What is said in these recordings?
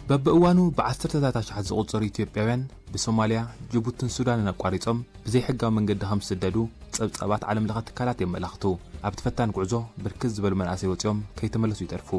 በብእዋኑ ብዓሰርተታት ኣሽሓት ዝቑጸሩ ኢትዮጵያውያን ብሶማልያ፣ ጅቡትን ሱዳንን ኣቋሪጾም ብዘይሕጋዊ መንገዲ ከም ዝስደዱ ጸብጻባት ዓለም ለኸ ትካላት የመላኽቱ። ኣብቲ ፈታን ጉዕዞ ብርክት ዝበሉ መናእሰይ ወጺኦም ከይተመለሱ ይተርፉ።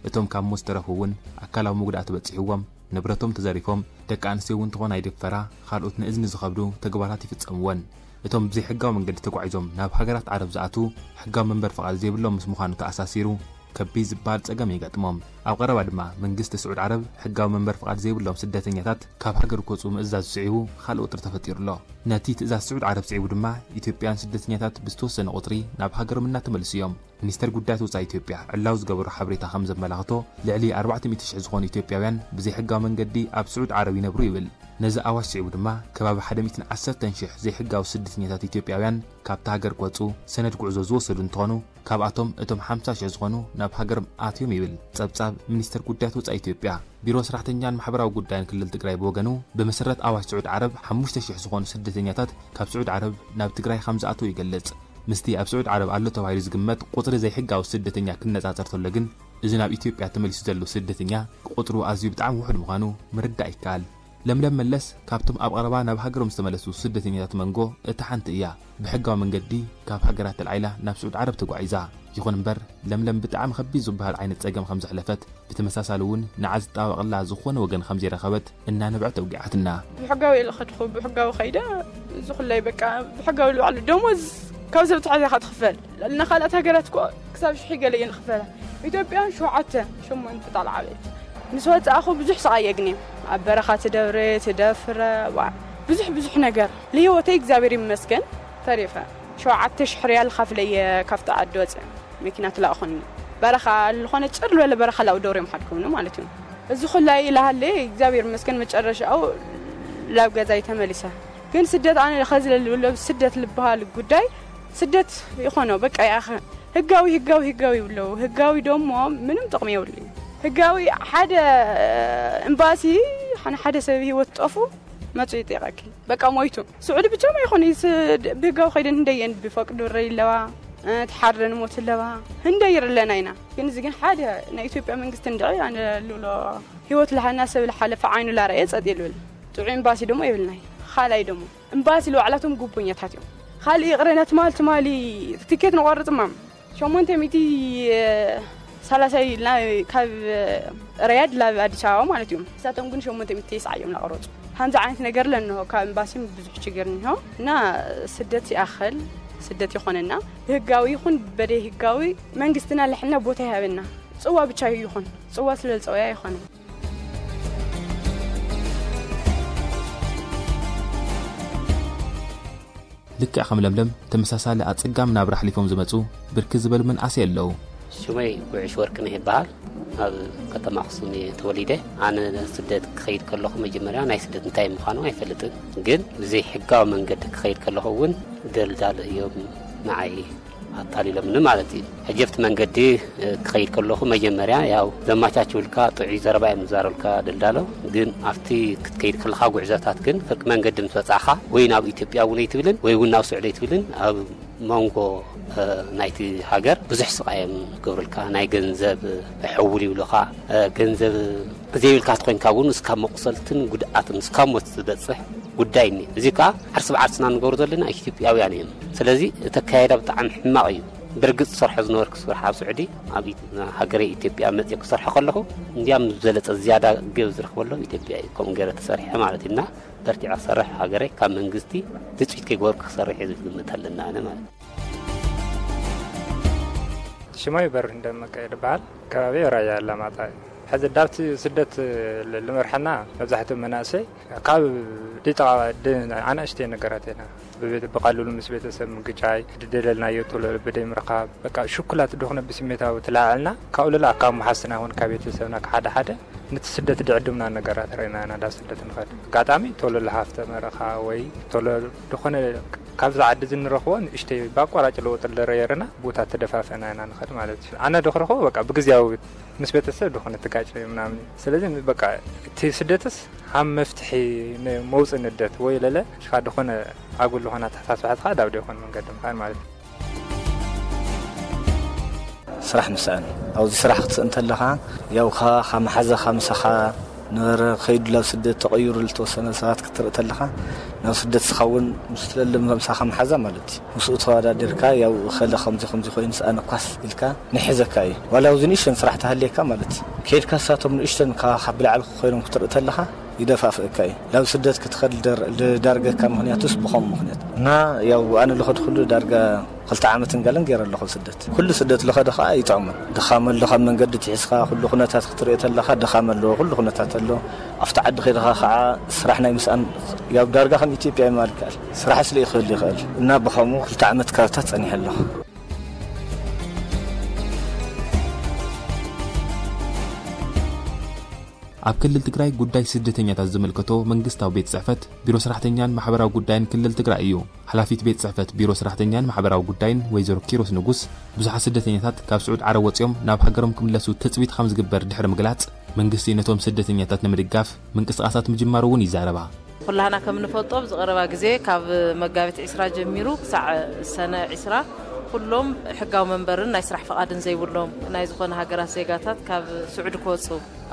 እቶም ካብ ሞት ዝተረፉ እውን ኣካላዊ መጉዳእቲ በጺሕዎም፣ ንብረቶም ተዘሪፎም፣ ደቂ ኣንስትዮ እውን ተኾና ይድፈራ፣ ካልኦት ንእዝኒ ዝኸብዱ ተግባራት ይፍጸምወን። እቶም ብዘይሕጋዊ መንገዲ ተጓዒዞም ናብ ሃገራት ዓረብ ዝኣትዉ፣ ሕጋዊ መንበር ፍቓድ ዘይብሎም ምስ ምዃኑ ተኣሳሲሩ፣ ከቢድ ዝበሃል ጸገም ይገጥሞም። ኣብ ቀረባ ድማ መንግስቲ ስዑድ ዓረብ ሕጋዊ መንበር ፍቓድ ዘይብሎም ስደተኛታት ካብ ሃገር ክወጽኡ ምእዛዝ ስዒቡ ካልእ ወጥሪ ተፈጢሩ ኣሎ። ነቲ ትእዛዝ ስዑድ ዓረብ ስዒቡ ድማ ኢትዮጵያውያን ስደተኛታት ብዝተወሰነ ቁጽሪ ናብ ሃገሮም እናተመልሱ እዮም። ሚኒስተር ጉዳያት ወጻኢ ኢትዮጵያ ዕላዊ ዝገበሮ ሓበሬታ ከም ዘመላኽቶ ልዕሊ ኣርባዕተ ሚእቲ ሽሕ ዝኾኑ ኢትዮጵያውያን ብዘይሕጋዊ መንገዲ ኣብ ስዑድ ዓረብ ይነብሩ ይብል። ነዚ ኣዋጅ ስዒቡ ድማ ከባቢ ሓደ ሚእትን ዓሰርተን ሽሕ ዘይሕጋዊ ስደተኛታት ኢትዮጵያውያን ካብታ ሃገር ክወጹ ሰነድ ጉዕዞ ዝወሰዱ እንትኾኑ፣ ካብኣቶም እቶም ሓምሳ ሽሕ ዝኾኑ ናብ ሃገሮም ኣትዮም ይብል ጸብጻብ ሚኒስተር ጉዳያት ወጻኢ ኢትዮጵያ። ቢሮ ሰራሕተኛን ማሕበራዊ ጉዳይን ክልል ትግራይ ብወገኑ፣ ብመሰረት ኣዋጅ ስዑድ ዓረብ ሓሙሽተ ሽሕ ዝኾኑ ስደተኛታት ካብ ስዑድ ዓረብ ናብ ትግራይ ከም ዝኣተዉ ይገልጽ። ምስቲ ኣብ ስዑድ ዓረብ ኣሎ ተባሂሉ ዝግመት ቁጽሪ ዘይሕጋዊ ስደተኛ ክነጻጸር ተሎ ግን፣ እዚ ናብ ኢትዮጵያ ተመሊሱ ዘሎ ስደተኛ ቁጽሩ ኣዝዩ ብጣዕሚ ውሑድ ምዃኑ ምርዳእ ይከኣል። ለምለም መለስ ካብቶም ኣብ ቀረባ ናብ ሃገሮም ዝተመለሱ ስደተኛታት መንጎ እታ ሓንቲ እያ። ብሕጋዊ መንገዲ ካብ ሃገራት ተልዓይላ ናብ ስዑድ ዓረብ ተጓዒዛ። ይኹን እምበር፣ ለምለም ብጣዕሚ ከቢድ ዝበሃል ዓይነት ጸገም ከም ዘሕለፈት፣ ብተመሳሳሊ እውን ንዓ ዝጣበቐላ ዝኾነ ወገን ከም ዘይረኸበት እናነብዐት ኣውጊዓትና። ብሕጋዊ ኢለ ከድኹ፣ ብሕጋዊ ከይደ፣ እዚ ኩላይ በቃ ብሕጋዊ ልባዕሉ ደሞዝ ካብ ሰብ ተሓዚኻ ትኽፈል። ንኻልኣት ሃገራት እኮ ክሳብ ሽሕ ገለ እየን ዝኽፈላ። ኢትዮጵያን ሸውዓተ፣ ሸሞንተ ጣል ዓበይቲ። ምስ ወጻእኹ ብዙሕ ስቓይ የግንየ። ኣብ በረኻ ትደብረ፣ ትደፍረ፣ ዋ፣ ብዙሕ፣ ብዙሕ ነገር። ንህይወተይ እግዚኣብሔር ይመስገን ተሪፈ። ሸውዓተ ሽሕ ሪያል ኻፍለየ ካብቲ ዓዲ ወፅእ። መኪና ትላእኹኒ። በረኻ፣ ዝኾነ ጭር ዝበለ በረኻ ላው ደብረ እዮም ሓድኩምኒ ማለት እዩ። እዚ ኩላይ ኢለ ሃለየ፣ እግዚኣብሔር ይመስገን መጨረሻኡ ላብ ገዛይ ተመሊሰ። ግን ስደት ኣነ ኸዚ ለልብሎ ስደት ልበሃል ጉዳይ ስደት ይኾኖ፣ በቃ ይኣኸ። ህጋዊ፣ ህጋዊ፣ ህጋዊ ይብለው። ህጋዊ ደሞ ምንም ጥቕሚ የብሉን። ህጋዊ ሓደ ኤምባሲ፣ ሓነ ሓደ ሰብ ህይወት ጠፉ መጹ ይጠይቐኪ። በቃ ሞይቱ። ስዑዲ ብቻ ማይኮን ይስ-፣ ብህጋዊ ከይደን ህንደየን ብፈቅዱ ረይ ኣለዋ፣ እ፣ ትሓረን ሞት ኣለዋ። ህንደይ ኣለና ኢና። ግን እዚ ግን ሓደ ናይ ኢትዮጵያ መንግስቲ እንድዒ ኣነ ልብሎ ህይወት ለሃና ሰብ ለሓለፈ ዓይኑ ላረየ ጸጥ ይልብል። ጥዑይ ኤምባሲ ደሞ የብልናይ። ኻላይ ደሞ ኤምባሲ ለባዕላቶም ጉቦኛታት እዮም። ካልእ ይቕረ ነትማል ትማሊ ትኬት ንቆርጽ ማም ሸሞንተ ሚእቲ ሰላሳ ኢልና ካብ ረያድ ላብ ኣዲስ ኣበባ ማለት እዩ። ንሳቶም ግን ሸሞንተ ሚእቲ ተስዓ እዮም ላቆረጹ። ከምዚ ዓይነት ነገር ለንሆ ካብ ኤምባሲም ብዙሕ ችግር እንሆ እና ስደት ይኣኸል ስደት ይኾነና ብህጋዊ ይኹን በደይ ህጋዊ መንግስትና ልሕልና ቦታ ይሃበና። ጽዋ ብቻ ይኹን ጽዋ ስለ ዝጸወያ ይኾነ። ልክዕ ከም ለምለም ተመሳሳሊ ኣጸጋሚ ናብራ ኣሕሊፎም ዝመጹ ብርክት ዝበሉ መናእሰይ ኣለዉ። ሽመይ ጉዕሽ ወርቅነህ ይበሃል። ኣብ ከተማ ኣኽሱም እየ ተወሊደ። ኣነ ስደት ክኸይድ ከለኹ መጀመርያ ናይ ስደት እንታይ ምዃኑ ኣይፈልጥን። ግን ብዘይ ሕጋዊ መንገዲ ክኸይድ ከለኹ እውን ደልዳል እዮም ንዓይ ኣታሊሎምኒ ማለት እዩ። ሕጂ ኣብቲ መንገዲ፣ እ፣ ክኸይድ ከለኹ መጀመርያ ያው ዘማቻችውልካ ጥዑይ ዘረባ እዮም ዝዛረብካ ደልዳሎ። ግን ኣብቲ ክትከይድ ከለኻ ጉዕዞታት ግን ፍርቂ መንገዲ ምስ በጻኻ ወይ ናብ ኢትዮጵያ እውን ኣይትብልን ወይ እውን ናብ ስዑዲ ኣይትብልን። ኣብ መንጎ፣ እ፣ ናይቲ ሃገር ብዙሕ ስቓይ እዮም ዝገብሩልካ። ናይ ገንዘብ ሕውል ይብሉኻ። እ፣ ገንዘብ ዘይብልካ ተኾይንካ እውን እስካብ መቑሰልትን ጉድኣትን እስካብ ሞት ዝበጽሕ ጉዳይ እኒ። እዚ ከዓ ዓርሲ ብዓርስና ንገብሮ ዘለና ኢትዮጵያውያን እዮም። ስለዚ እቲ ኣካያይዳ ብጣዕሚ ሕማቕ እዩ። ብርግጽ ዝሰርሖ ዝነበርኩ ስራሕ ኣብ ስዑዲ፣ ኣብ ኢ-፣ ሃገረይ ኢትዮጵያ መጽየ ክሰርሖ ከለኹ፣ እንዲያም ዝበለጸ ዝያዳ ገብ ዝረኽበሎም ኢትዮጵያ እዩ። ከምኡ ገይረ ተሰሪሐ ማለት እዩ። እና በርቲዐ ክሰርሕ ሃገረይ ካብ መንግስቲ ትጽቢት ከይገበርኩ ክሰርሕ እየ ዝብል ግምት ኣለና ኣነ ማለት እዩ። ሽማይ በርህ እንደመቀ ይበሃል። ከባቢ ራያ ኣላማጣ እዩ። ሕዚ ዳብቲ ስደት ል-፣ ልመርሐና መብዛሕትኡ መናእሰይ ካብ ዲጥቓ ድ-፣ ኣናእሽተይ ነገራት ኢና። ብቤት-፣ ብቐልሉ ምስ ቤተሰብ ምግጫይ፣ ድደለልናዮ ቶሎ ብደይ ምርኻብ፣ በቃ ሽኩላት ድኾነ ብስሜታዊ ትለዓዕልና፣ ካብኡ ልላ ካብ መሓስና ይኹን ካብ ቤተሰብና ሓደ ሓደ ነቲ ስደት ድዕድምና ነገራት ርኢና ኢና ዳ ስደት ንኸድ። ኣጋጣሚ ቶሎ ልሃፍተ መረኻ ወይ ቶሎ ድኾነ ካብዚ ዓዲ እዚ ንረኽቦ ንእሽተይ ብኣቋራጭ ለውጢ ለረየርና ቦታ ተደፋፈና ኢና ንኸድ ማለት እዩ። ኣነ ድኽረኽቦ በቃ ብግዜያዊ ምስ ቤተሰብ ድኾነ ትጋጭ ምናምን እዩ። ስለዚ በቃ እቲ ስደትስ ሃም መፍትሒ ን-፣ መውፅእ ንደት ወይ ለለ ሽኻ ድኾነ ኣጉል ዝኾነ ኣተሓሳስባትኻ ዳብ ደይኮነ መንገዲ ምኻድ ማለት እዩ። ስራሕ ምስኣን። ኣብዚ ስራሕ ክትስእ እንተለኻ፣ ያው ኻ-፣ ኻ መሓዘኻ ምሳኻ ነበረ ከይዱ ናብ ስደት ተቐይሩ ዝተወሰነ ሰባት ክትርኢ ተለኻ ናብ ስደት ስኻ እውን ምስ ትለሊ ምሳኻ መሓዛ ማለት እዩ። ምስኡ ተወዳዲርካ ያው ኸለ ከምዚ ከምዚ ኮይኑ ስኣነ ኳስ ኢልካ ንሕዘካ እዩ። ዋላ ኣብዚ ንእሽተን ስራሕ ተሃልየካ ማለት እዩ። ከይድካ ሳቶም ንእሽተን ካኻ ብላዕሊ ኮይኖም ክትርኢ ተለኻ ይደፋፍእካ እዩ። ናብ ስደት ክትኸድ ልደር- ልዳርገካ ምኽንያቱስ ብኸም ምኽንያት እና ያው ኣነ ልኸድኩሉ ዳርጋ ክልተ ዓመትን ገለን ገይረ ኣለኹ ስደት። ኩሉ ስደት ልኸደ ኸዓ ይጥዕሙን። ድኻም ኣሎ፣ ካብ መንገዲ ትሒዝካ ኩሉ ኩነታት ክትሪኦ ተለኻ ድኻም ኣለዎ፣ ኩሉ ኩነታት ኣሎ። ኣብቲ ዓዲ ከይድኻ ኸዓ ስራሕ ናይ ምስኣን ያው ዳርጋ ከም ኢትዮጵያ ይማል ይከኣል። ስራሕ ስለ ይኽእል ይኽእል እና ብኸምኡ ክልተ ዓመት ካብታት ጸኒሐ ኣለኹ። ኣብ ክልል ትግራይ ጉዳይ ስደተኛታት ዝምልከቶ መንግስታዊ ቤት ጽሕፈት ቢሮ ሰራሕተኛን ማሕበራዊ ጉዳይን ክልል ትግራይ እዩ። ሓላፊት ቤት ጽሕፈት ቢሮ ሰራሕተኛን ማሕበራዊ ጉዳይን ወይዘሮ ኪሮስ ንጉስ፣ ብዙሓት ስደተኛታት ካብ ስዑድ ዓረብ ወጺኦም ናብ ሃገሮም ክምለሱ ትጽቢት ከም ዝግበር ድሕሪ ምግላጽ፣ መንግስቲ ነቶም ስደተኛታት ንምድጋፍ ምንቅስቃሳት ምጅማሩ እውን ይዛረባ። ኩላህና ከም ንፈልጦ ኣብዚ ቀረባ ግዜ ካብ መጋቢት ዒስራ ጀሚሩ ክሳዕ ሰነ ዒስራ ኩሎም ሕጋዊ መንበርን ናይ ስራሕ ፍቓድን ዘይብሎም ናይ ዝኾነ ሃገራት ዜጋታት ካብ ስዑዲ ክወፁ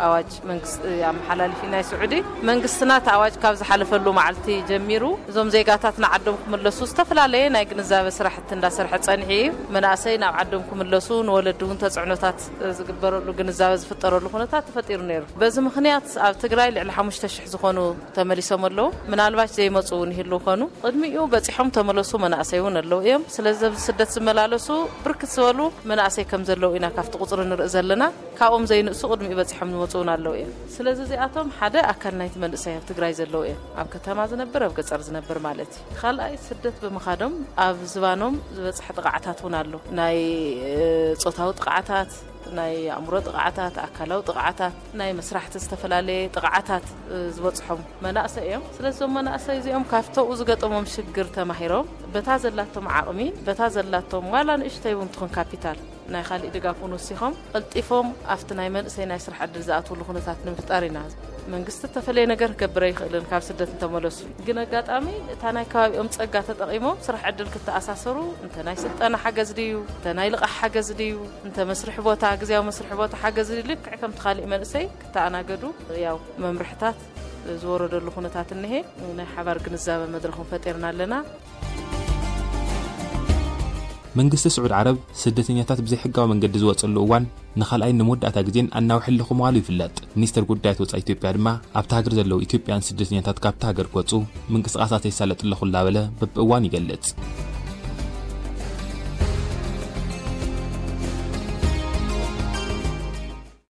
ኣዋጅ መንግስቲ ኣመሓላሊፊ ናይ ስዑዲ መንግስትና እቲ ኣዋጅ ካብ ዝሓለፈሉ መዓልቲ ጀሚሩ እዞም ዜጋታት ንዓዶም ክምለሱ ዝተፈላለየ ናይ ግንዛበ ስራሕቲ እንዳሰርሐ ፀኒሑ እዩ። መናእሰይ ናብ ዓዶም ክምለሱ ንወለዲ እውን ተፅዕኖታት ዝግበረሉ ግንዛበ ዝፍጠረሉ ኩነታት ተፈጢሩ ነይሩ። በዚ ምኽንያት ኣብ ትግራይ ልዕሊ ሓሙሽተ ሽሕ ዝኾኑ ተመሊሶም ኣለዉ። ምናልባት ዘይመፁ እውን ይህልው ኮኑ። ቅድሚኡ በፂሖም ተመለሱ መናእሰይ እውን ኣለዉ እዮም። ስለዚ ኣብዚ ስደት ዝመላለሱ ብርክት ዝበሉ መናእሰይ ከም ዘለዉ ኢና ካብቲ ቁፅሪ ንርኢ ዘለና። ካብኦም ዘይንእሱ ቅድሚኡ በፂሖም ዝመፁ እውን ኣለዉ እዮም። ስለዚ እዚኣቶም ሓደ ኣካል ናይቲ መንእሰይ ኣብ ትግራይ ዘለዉ እዮም። ኣብ ከተማ ዝነብር፣ ኣብ ገፀር ዝነብር ማለት እዩ። ካልኣይ ስደት ብምኻዶም ኣብ ዝባኖም ዝበፅሐ ጥቕዓታት እውን ኣሎ። ናይ እ፣ ፆታዊ ጥቕዓታት፣ ናይ ኣእምሮ ጥቕዓታት፣ ኣካላዊ ጥቕዓታት፣ ናይ መስራሕቲ ዝተፈላለየ ጥቕዓታት እ፣ ዝበፅሖም መናእሰይ እዮም። ስለዚ እዞም መናእሰይ እዚኦም ካብተኡ ዝገጠሞም ሽግር ተማሂሮም በታ ዘላቶም ዓቕሚ፣ በታ ዘላቶም ዋላ ንእሽተይ እውን ትኹን ካፒታል ናይ ካሊእ ድጋፍ እውን ወሲኾም ቀልጢፎም ኣብቲ ናይ መንእሰይ ናይ ስራሕ ዕድል ዝኣትውሉ ኩነታት ንምፍጣር ኢና። መንግስቲ እተፈለየ ነገር ክገብር ኣይኽእልን ካብ ስደት እንተመለሱ። ግን ኣጋጣሚ እታ ናይ ከባቢኦም ጸጋ ተጠቒሞም ስራሕ ዕድል ክተኣሳሰሩ እንተ ናይ ስልጠና ሓገዝ ድዩ፣ እንተ ናይ ልቓሕ ሓገዝ ድዩ፣ እንተ መስርሒ ቦታ፣ ግዝያዊ መስርሒ ቦታ ሓገዝ ድዩ፣ ልክዕ ከምቲ ካሊእ መንእሰይ ክተኣናገዱ ያው መምርሕታት ዝወረደሉ ኩነታት እኒሄ። ናይ ሓባር ግንዛበ መድረኹም ፈጢርና ኣለና። መንግስቲ ስዑድ ዓረብ ስደተኛታት ብዘይሕጋዊ መንገዲ ዝወፀሉ እዋን ንኻልኣይን ንመወዳእታ ግዜን ኣናውሐ ኣለኹ ምባሉ ይፍለጥ። ሚኒስተር ጉዳያት ወፃኢ ኢትዮጵያ ድማ ኣብታ ሃገር ዘለዉ ኢትዮጵያን ስደተኛታት ካብታ ሃገር ክወፁ ምንቅስቃሳት የሳለጥ ኣለኹ እናበለ በብእዋን ይገልጽ።